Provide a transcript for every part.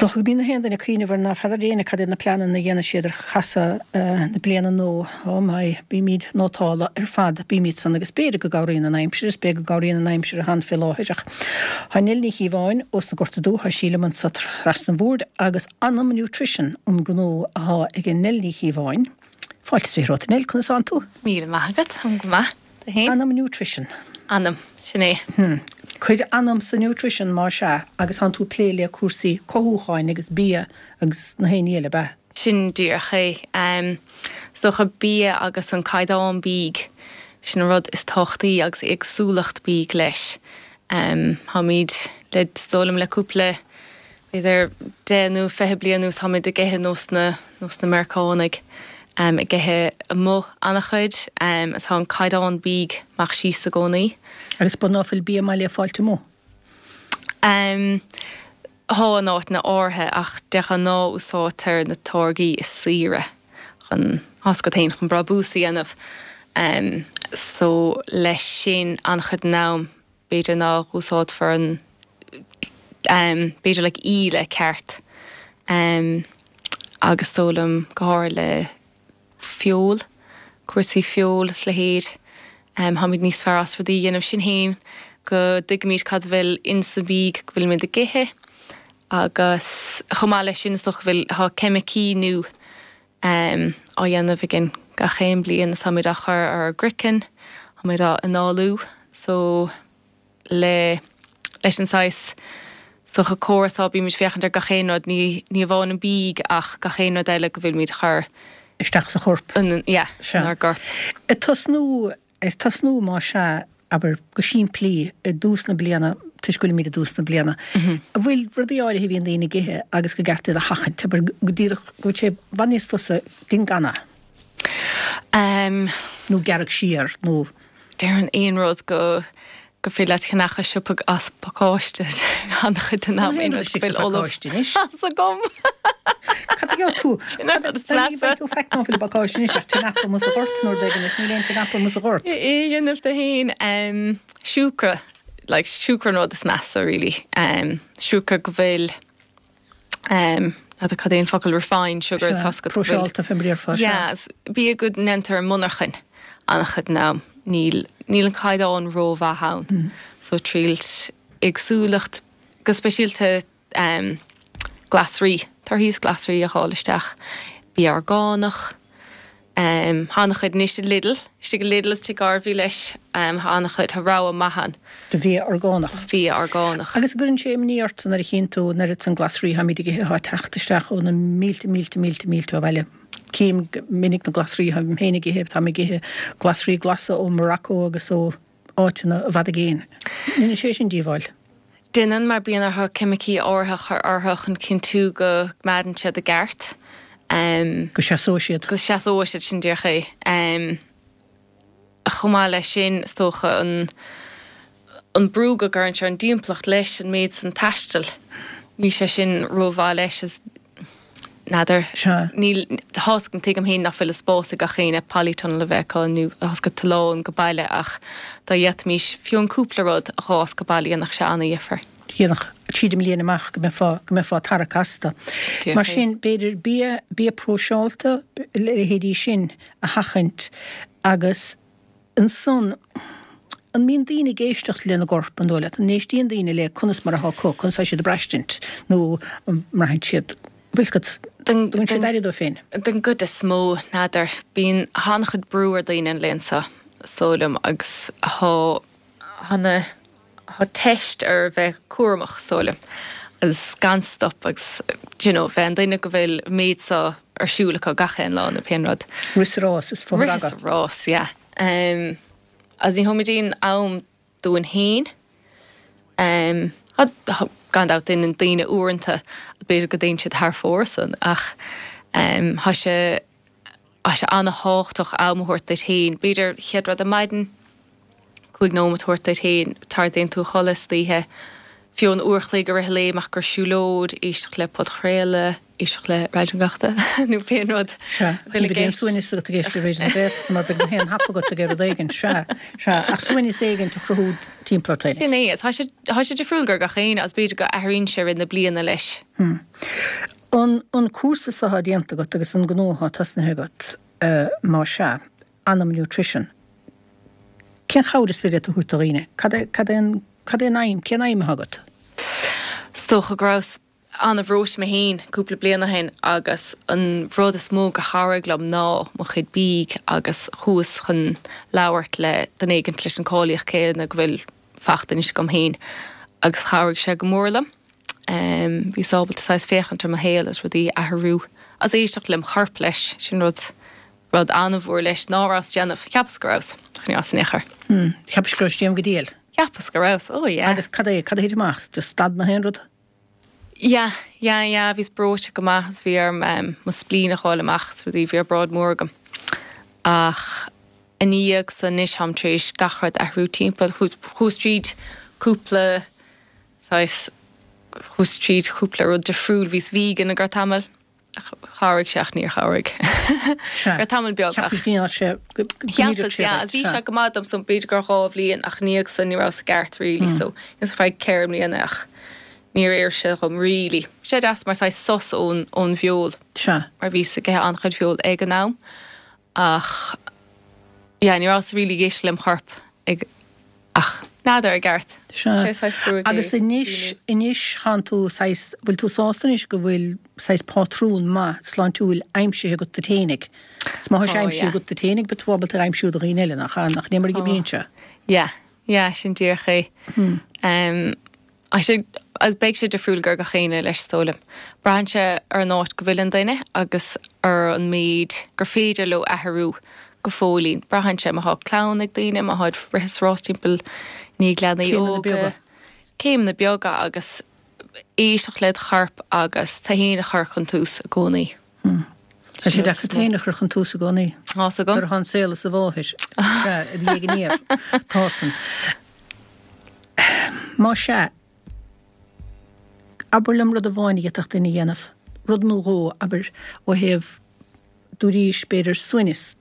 dócha go mbíonn na haon duine ag cuimhneamh ar ná feadar éinne cad iad na pleananna a dhéanfaidh siad ar chasadh na bliana nua. Oh my, bímid nótálta ar fad, bímid san agus b'fhéidir go gcabhraíonn an aimsir, is b'fhéidir go gcabhraíonn an aimsir atá ann fé láthair ach tá Nell Ní Chíobháin ós na Gorta Dubha, tá sí liom anso trasna an bhoird agus Anam Nutrition an gnó athá ag Nell Ní Chíobháin. Fáilte is romhat a Nell, conas tánn tú? Míle maith agat, táim go maith. Tú fhéin? Anam Nutrition. Anam, sin é. Hm. Cuir anam sa nutrition más ea agus tánn tú ag plé le cúrsaí cothúcháin agus bia agus na haon ní eile, ab ea? Sin díreach é. Is dócha bia agus an caighdeán bídh, sin an rud is tábhachtaí agus éagsúlacht bídh leis. Táimid le, is dóigh liom le cúpla, b'fhéidir 10 nó 20 bliain anuas táimid ag ithe nós na, nós na Meiriceánaigh, ag ithe amuigh an-chuid is tá an caighdeán bídh amach síos i gcónaí. Agus ab ea ná fuil bia maith le fáilt amuigh? Tá in áiteanna áirithe ach de ghnáth úsáidtear na táirgí is saoire chun, tá 's agat féin, chun brabús a dhéanamh. So leis sin an-chuid den am b'fhéidir ná úsáidfear an b'fhéidir like íle ceart agus is dóigh liom go háirithe le feoil, cúrsaí feoil is leithéid, táimid níos fearr as rudaí a dhéanamh sinn féin go dtuigimid cad a bhfuil insa bhídh go bhfuilimid ag ithe agus chomh maith leis sin is dócha go bhfuil, tá ceimicí nua á dhéanamh againn gach aon bliain is táimid á chur ar ár gcraiceann, táimid á análú so le leis an saghas is dócha córas atá bímid féachaint ar gach aon rud ní ní amháin an bídh ach gach aon rud eile go bhfuilimid a chur isteach sa chorp. in yeah Sea. inár gcorp. Ag tosnú Ag tosnú, más ea, abair, go simplí, i dtús na bliana, toisc go bhfuilimid i dtús na bliana, an bhfuil rudaí áirithe a bhíonn daoine ag ithe agus gur ceart iad a sheachaint, abair, go díreach, go bhfuil sé i bhfad níos fusa déan gan é. Nó gearradh siar, nó. Déarfainn aon rud go gur féidir leat ceannach i siopa as pacáiste an-chuid den am aon rud go bhfuil ullamh as agam. Cad a gheobhaidh tú? Ní bheidh tú faic ná fuil i bpacáiste anois ach tinapple amuigh sa ghort nó rud éigin is níl aon tinapple amuigh sa ghort. É a dhéanamh do fhéin. Siúcra, like siúcra an rud is measa really. Siúcra go bhfuil N'fheadar cad é an focal refined sugar is tá 's agat go bhfuil. Próiseálta fé mar a déarfá, sea. Yeah, bia go ndéantar i monarchain an-chuid den am. Níl, níl an caighdeán rómhaith ann. So triailt éagsúlacht, go speisialta glasraí, torthaí is glasraí a fháil isteach. Bia orgánach. Tá an-chuid anois i Lidl, istigh i Lidl is Tigh Garvey leis, tá an-chuid, tá rogha maith ann. De bhia orgánach. De bhia orgánach. Agus an gcuireann sé imní ort nuair a chíonn tú an oiread san glasraí atáimid ag ithe atá ag teacht isteach ó na mílte, mílte, mílte, mílte ó bhaile. Cím go minic na glasraí atáim féin ag ithe, táim ag ithe glasraí glasa ó Morocco agus ó áiteanna i bhfad i gcéin. Ndéanann sé sin díobháil? Déanann, mar bíonn orthu ceimicí áirithe a chur orthu chun cinntiú go gcoimeádann siad i gceart. Go seasóidh siad. Go seasóidh siad, sin díreach é. Chomh maith leis sin, is dócha, an an brú go gcuireann sé ar an dtimpeallacht leis an méid san taistil, níl sé sin rómhaith leis. Is. N'fheadar. Sea. Níl, tá's agam, tuigim féin nach bhfuil an spás ag gach éinne polytunnel a bheith acu nó tá's agat tulán go baile ach dá bhféadfaimis fiú an cúpla rud a dh'fhás go baile dhéanfadh sé ana-dhifear. Dhéanfadh. Tríd an mbliain amach go mbeifeá, go mbeifeá tarrac astu. Mar sin, b'fhéidir bia, bia próiseálta, leithéidí sin a sheachaint agus. Ansan, an mbíonn daoine ag éisteacht lena gcorp, an dóigh leat? An n-éistíonn daoine le conas mar atá acu, conas atá siad ag braistint, nó an mbraitheann siad, bhfuil 's agat, an dtugann siad aire dóibh féin? Den gcuid is mó, n'fheadar. Bíonn an-chuid brú ar daoine an laethanta seo, is dóigh liom, agus tá, tá na, tá teist ar bheith cúramach, is dóigh liom, agus gan stop agus, do you know, bheith an duine go bhfuil an méid seo ar siúl acu gach aon lá nó pé rud. Rith sa rás is fothragaidh. Rith sa rás, yeah. Um, agus ní thugaimid aon am dúinn féin. Um, gan dabht déanann daoine uaireanta, b'fhéidir go dtéann siad thar fóir san, ach um, tá sé Tá sé an-thábhachtach am a thabhairt duit féin. B'fhéidir chéad rud ar maidin, 5 nóiméad a thabhairt duit féin, tar a dtéann tú a chodladh istoíche, fiú an uair a chloig i rith an lae, amach ag siúlóid, éisteacht le podchraoladh. Éisteacht le Raidió na Gaeltachta nó pé rud Sea, ní bheidh aon suaimhneas agat ag éisteacht le Raidió na Gaeltachta mar beidh na héin thapa agat ag rud éigin. Sea, sea, ach suaimhneas éigin a chruthú timpeall ort féinig. Sin é. Tá sé, tá sé difriúil do gach éinne agus b'fhéidir go athraíonn sé i rith na bliana leis. An, an cúrsa so atá déanta agat agus an gnó atá tosnaithe agat, má sea, Anam Nutrition, cén chabhair is féidir leat a thabhairt do dhaoine? Cad é, cad é an, cad é an aidhm, cén aidhm atá agat? Is dócha go rabhas an-bhreoite mé féin cúpla bliain ó shin agus an rud is mó go chabhraigh liom ná mo chuid bídh agus chuas chun labhairt le duine éigint leis an cáilíocht céanna go bhfuil fachta anois agam féin agus chabhraigh sé go mór liom. Bhíos ábalta saghas féachaint ar mo shaol agus rudaí a athrú agus éisteacht lem chorp leis, sin rud rud an-mhór leis ná rabhas déanamh, cheapas go rabhas, ach ní rabhas in aon chor. Cheapais go rabhais déanamh go diail? Cheapas go rabhas, oh yeah. Agus cad é, cad a thit amach? Just stad na haon rud? Yeah, yeah, yeah, bhíos breoite go maith agus bhí orm mo spleen a fháil amach is rudaí, bhí obráid mór agam. Ach ina dhiaidh san anois táim tar éis gach rud a athrú timpeall, chuas tríd cúpla saghas, chuas tríd cúpla rud difriúil, bhíos vegan go ceann tamaill. Chabhraigh sé ach níor chabhraigh. Sea. Go tamall beag ach. Cheapas go ndéanfadh sé, go ndíreodh sé duit. Bhí sé go maith dom so b'fhéidir gur 2 bhliain ach ina dhiaidh san ní rabhas i gceart really so ar feadh 4 mbliana ach níor oir sé dhom really. Bhí sé deas mar saghas sos ón ón bhfeoil. Sea. Mar bhíos ag ithe an-chuid feoil ag an am ach yeah ní rabhas really ag éisteacht lem chorp ag Ach n'fheadar i gceart. Sea. Sé saghas gruaig é. Agus anois, anois tánn tú saghas, bhfuil tú sásta anois go bhfuil saghas pátrún maith sláintiúil aimsithe agat duit fhéinig? Is má tá sé Tá, aimsithe yeah. agat duit fhéinig, beidh tú ábalta é a aimsiú do dhaoine eile, nach ea? Nach é mar a Tá. oibríonn sé? Yeah, yeah, sin díreach é. Em, Tá sé, agus beidh sé difriúil do gach éinne leis is dóigh liom. Braitheann sé ar an áit go bhfuil an duine agus ar an méid gur féidir leo athrú go fóillín. Braitheann sé má thá clann ag daoine, má tháid rith is rás timpeall i ndiaidh leanaí Céimeanna óga. beaga. Céimeanna beaga agus éisteacht led chorp agus tú fhéin a chur chun tús i gcónaí. Tá sé deacair tú fhéin a chur chun tús i gcónaí. Tá's agam. Nuair atá an saol as a mháthair. Sea, i do dhiaidh aniar. Tá san. Má sea, abair liom rud amháin a d'fhéadfadh duine a dhéanamh, rud nó dhó, abair, ó thaobh, dúraís, b'fhéidir, suaimhneas,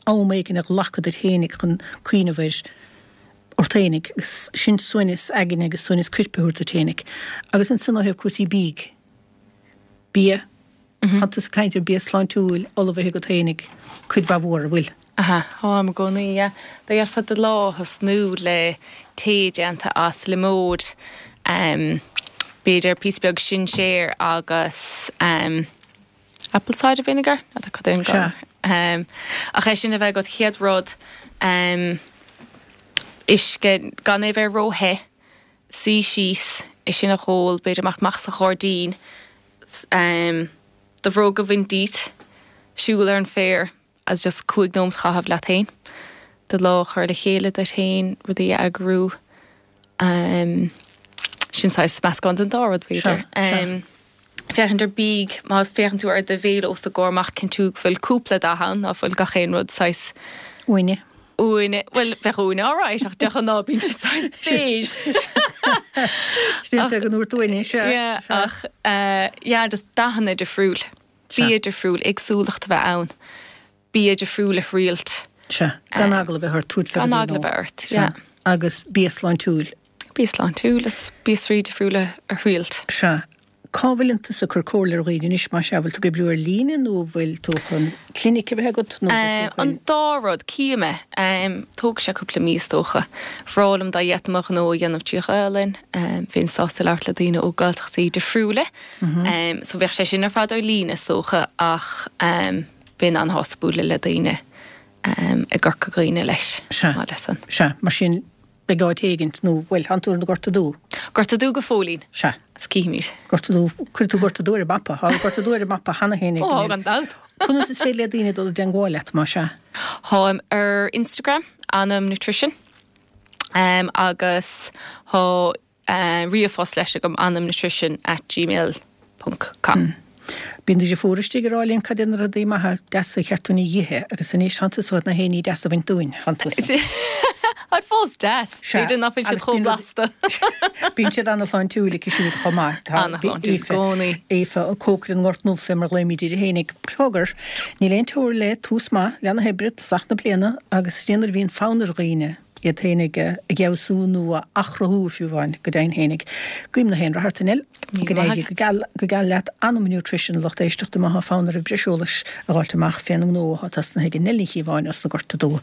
am éigin a ghlacadh duit fhéinig chun cuimhneamh ar ort fhéinig, agus sin suaimhneas aigne agus suaimhneas coirp a thabhairt duit fhéinig. Agus ansan ó thaobh cúrsaí bídh, bia, Tá tusa ag caint ar bia sláintiúil ullmhaithe agat fhéinig cuid mhaith mhór, an bhfuil? Aha, táim i gcónaí, yeah. Dá bhféadfá do lá a thosnú le tae déanta as liomóid, b'fhéidir píosa beag sinséir agus apple cider vinegar, n'fheadar cad é an Sea. Ach é sin a bheith agat chéad rud, uisce, gan é a bheith ró-the, suí síos, é sin a dh'ól, b'fhéidir amach amach sa ghairdín, do bhróga a bhaint díot, siúl ar an bhféar agus just 5 nóimeat a chaitheamh leat féin, do lá a chur le chéile duit féin, rudaí a eagrú. Sin saghas meascán den dá rud b'fhéidir. Féachaint ar bídh, má féachann tú ar do bhéile os do gcomhair amach, cinntiú go bhfuil cúpla dath ann, ná fuil gach aon rud saghas. Uaine. Uaine, bhuel, bheadh uaine alright, ach de ghnáth bíonn siad saghas beige. Sin é go ndúirt uaine, sea. Yeah, ach, yeah, just dathanna difriúil, bia difriúil, éagsúlacht a bheith ann, bia difriúil a thriailt. Sea, gan eagla a bheith ort tabhairt fé Gan eagla a bheith ort, yeah. Agus bia sláintiúil. Bia sláintiúil is bia difriúla a thriailt. Sea. Cá bhfuileann tusa ag cur comhairle ar dhaoine anois, más ea? Bhfuil tú ag oibriú ar líne nó an bhfuil tú chun clinic a bheith agat nó bhfuil tú chun. An dá rud. Cífidh mé. Tógfaidh sé cúpla mí is dócha. Bhreá liom dá bhféadfainn mo ghnó a dhéanamh trí Ghaelainn. Bheinn sásta labhairt le daoine ó Gaeltachtaí difriúla. So bheadh sé sin ar fad ar líne is dócha ach bheinn an-shásta bualadh le daoine i gCorca Dhuibhne leis. Sea. Sea. Mar sin Beidh áit éigint, nó, bhuel, tánn tú ar an Gorta Dubh. Gorta Dubh go fóillín. Sea. Is cífimid. Gorta Dubh, cuirfidh tú Gorta Dubh ar an mapa. Tá Gorta Dubh ar an mapa cheana féin ag Ó, gan dabht. Conas is féidir le daoine dul i dteangmháil leat, más ea? Táim ar Instagram, Anam Nutrition, agus tá ríomhphost leis agam, anamnutrition at gmail ponc com. Bíonn do dhriofúr istigh ag rá linn cad é na rudaí maithe deasa a cheart dúinn a dh'ithe agus anois tánn tusa chun na héiní deasa a bhaint dúinn, tánn tusa. Táid fós deas, b'fhéidir nach bhfuil siad chomh blasta. Bíonn siad ana-shláintiúil aici siúd chomh maith. Ana-shláintiúil i gcónaí. Aoife, an cócaire na nGort nDubh fé mar a ghlaoimid uirthi fhéinig. Cogar, níl aon teora le tús maith leath na hoibre, tosach na bliana agus sin é nuair a bhíonn fonn ar dhaoine iad féinig a fheabhsú nó a athchruthú fiú amháin, go deimhin féinig. Guím na haon rath ort a Nell. Go n-éirí go geal go geal leat. Anam Nutrition, lucht éisteachta má thá fonn oraibh breis eolais a dh'fháilt amach fén ngnó athá tosnaithe ag Nell Ní Chíobháin os na Gorta Dubha.